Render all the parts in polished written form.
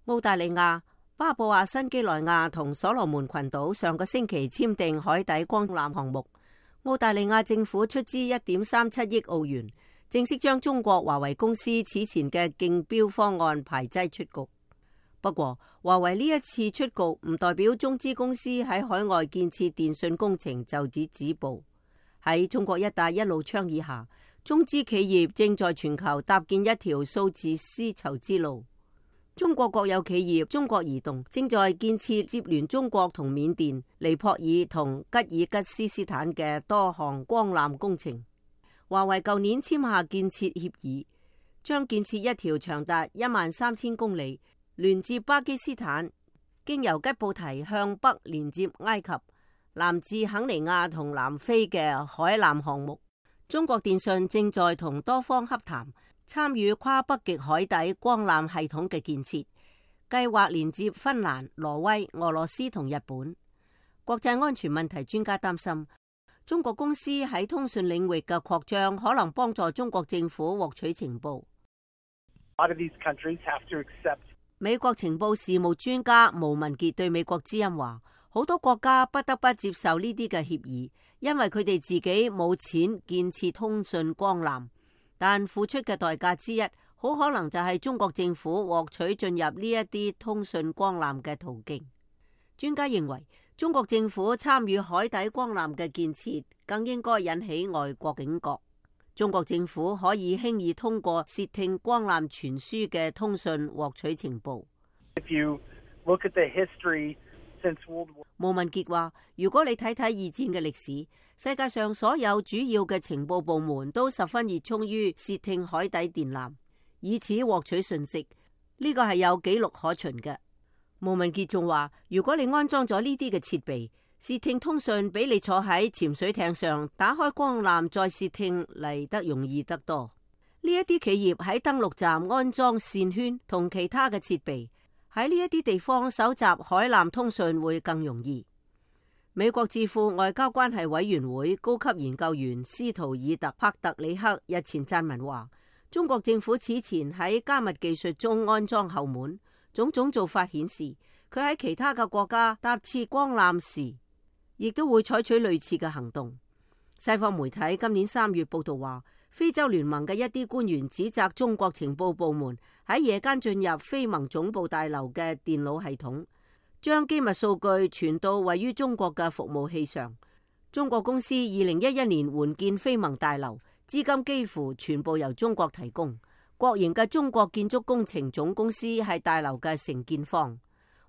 澳大利亞、巴布亞新畿內亞同所羅門群島上個星期簽訂海底光纜項目，澳大利亞政府出資1.37億澳元，正式將中國華為公司此前嘅競標方案排擠出局。不過，華為呢一次出局唔代表中資公司喺海外建設電信工程就此止步。喺中國一帶一路倡議下，中資企業正在全球搭建一條數字絲綢之路。中國國有企業中國移動正在建設接連中國同緬甸、尼泊爾同吉爾吉斯斯坦嘅多項光纜工程。華為舊年簽下建設協議，將建設一條長達13000公里，連接巴基斯坦，經由吉布提向北連接埃及、南至肯尼亞同南非嘅海纜項目。中國電信正在同多方洽談，參與跨北極海底光纜系統嘅建設，計劃連接芬蘭、挪威、俄羅斯同日本。國際安全問題專家擔心，中國公司喺通訊領域嘅擴張可能幫助中國政府獲取情報。美國情報事務專家毛文傑對美國之音話，好多國家不得不接受呢啲嘅協議，因為佢哋自己冇錢建設通訊光纜，但付出嘅代價之一，好可能就係中國政府獲取進入呢一啲通訊光纜嘅途徑。專家認為，中國政府參與海底光纜嘅建設，更應該引起外國警覺。中國政府可以輕易通過竊聽光纜傳輸嘅通訊獲取情報。毛文傑話，如果你睇睇二戰嘅歷史，世界上所有主要嘅情報部門都十分熱衷於竊聽海底電纜，以此獲取信息。呢個係有記錄可循嘅。毛文傑仲話，如果你安裝咗呢啲嘅設備，竊聽通訊比你坐喺潛水艇上打開光纜再竊聽嚟得容易得多。呢一啲企業喺登陸站安裝線圈同其他嘅設備，喺呢一啲地方搜集海纜通訊會更容易。美國智庫外交關係委員會高級研究員斯圖爾特·帕特里克日前撰文話，中國政府此前喺加密技術中安裝後門，種種做法顯示佢喺其他嘅國家搭設光纜時，亦都會採取類似嘅行動。西方媒體今年3月報道話，非洲聯盟嘅一啲官員指責中國情報部門喺夜間進入非盟總部大樓嘅電腦系統，將機密數據傳到位於中國嘅服務器上。中國公司2011年援建非盟大樓，資金幾乎全部由中國提供。國營嘅中國建築工程總公司係大樓嘅承建方。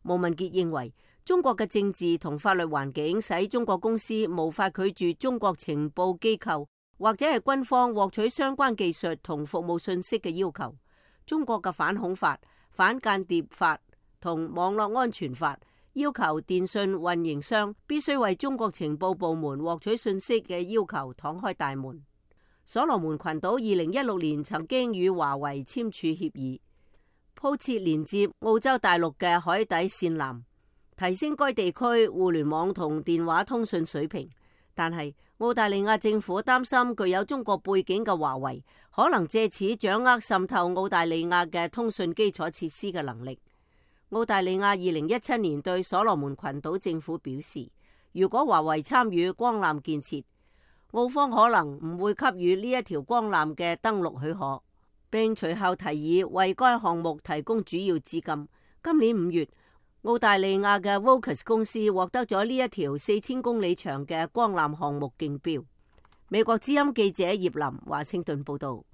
毛文傑認為，中國嘅政治同法律環境使中國公司無法拒絕中國情報機構或者係軍方獲取相關技術同服務信息嘅要求。中國嘅反恐法、反間諜法同網絡安全法要求電信運營商必須為中國情報部門獲取信息嘅要求敞開大門。所羅門群島2016年曾經與華為簽署協議，鋪設連接澳洲大陸嘅海底線纜，提升該地區互聯網同電話通訊水平。但係澳大利亞政府擔心具有中國背景嘅華為可能借此掌握滲透澳大利亞嘅通訊基礎設施嘅能力。澳大利亞2017年對所羅門群島政府表示，如果華為參與光纜建設，澳方可能唔會給予呢一條光纜嘅登陸許可，並隨後提議為該項目提供主要資金。今年5月，澳大利亞嘅 Vocus 公司獲得咗呢一條4000公里長嘅光纜項目競標。美國之音記者葉林華盛頓報道。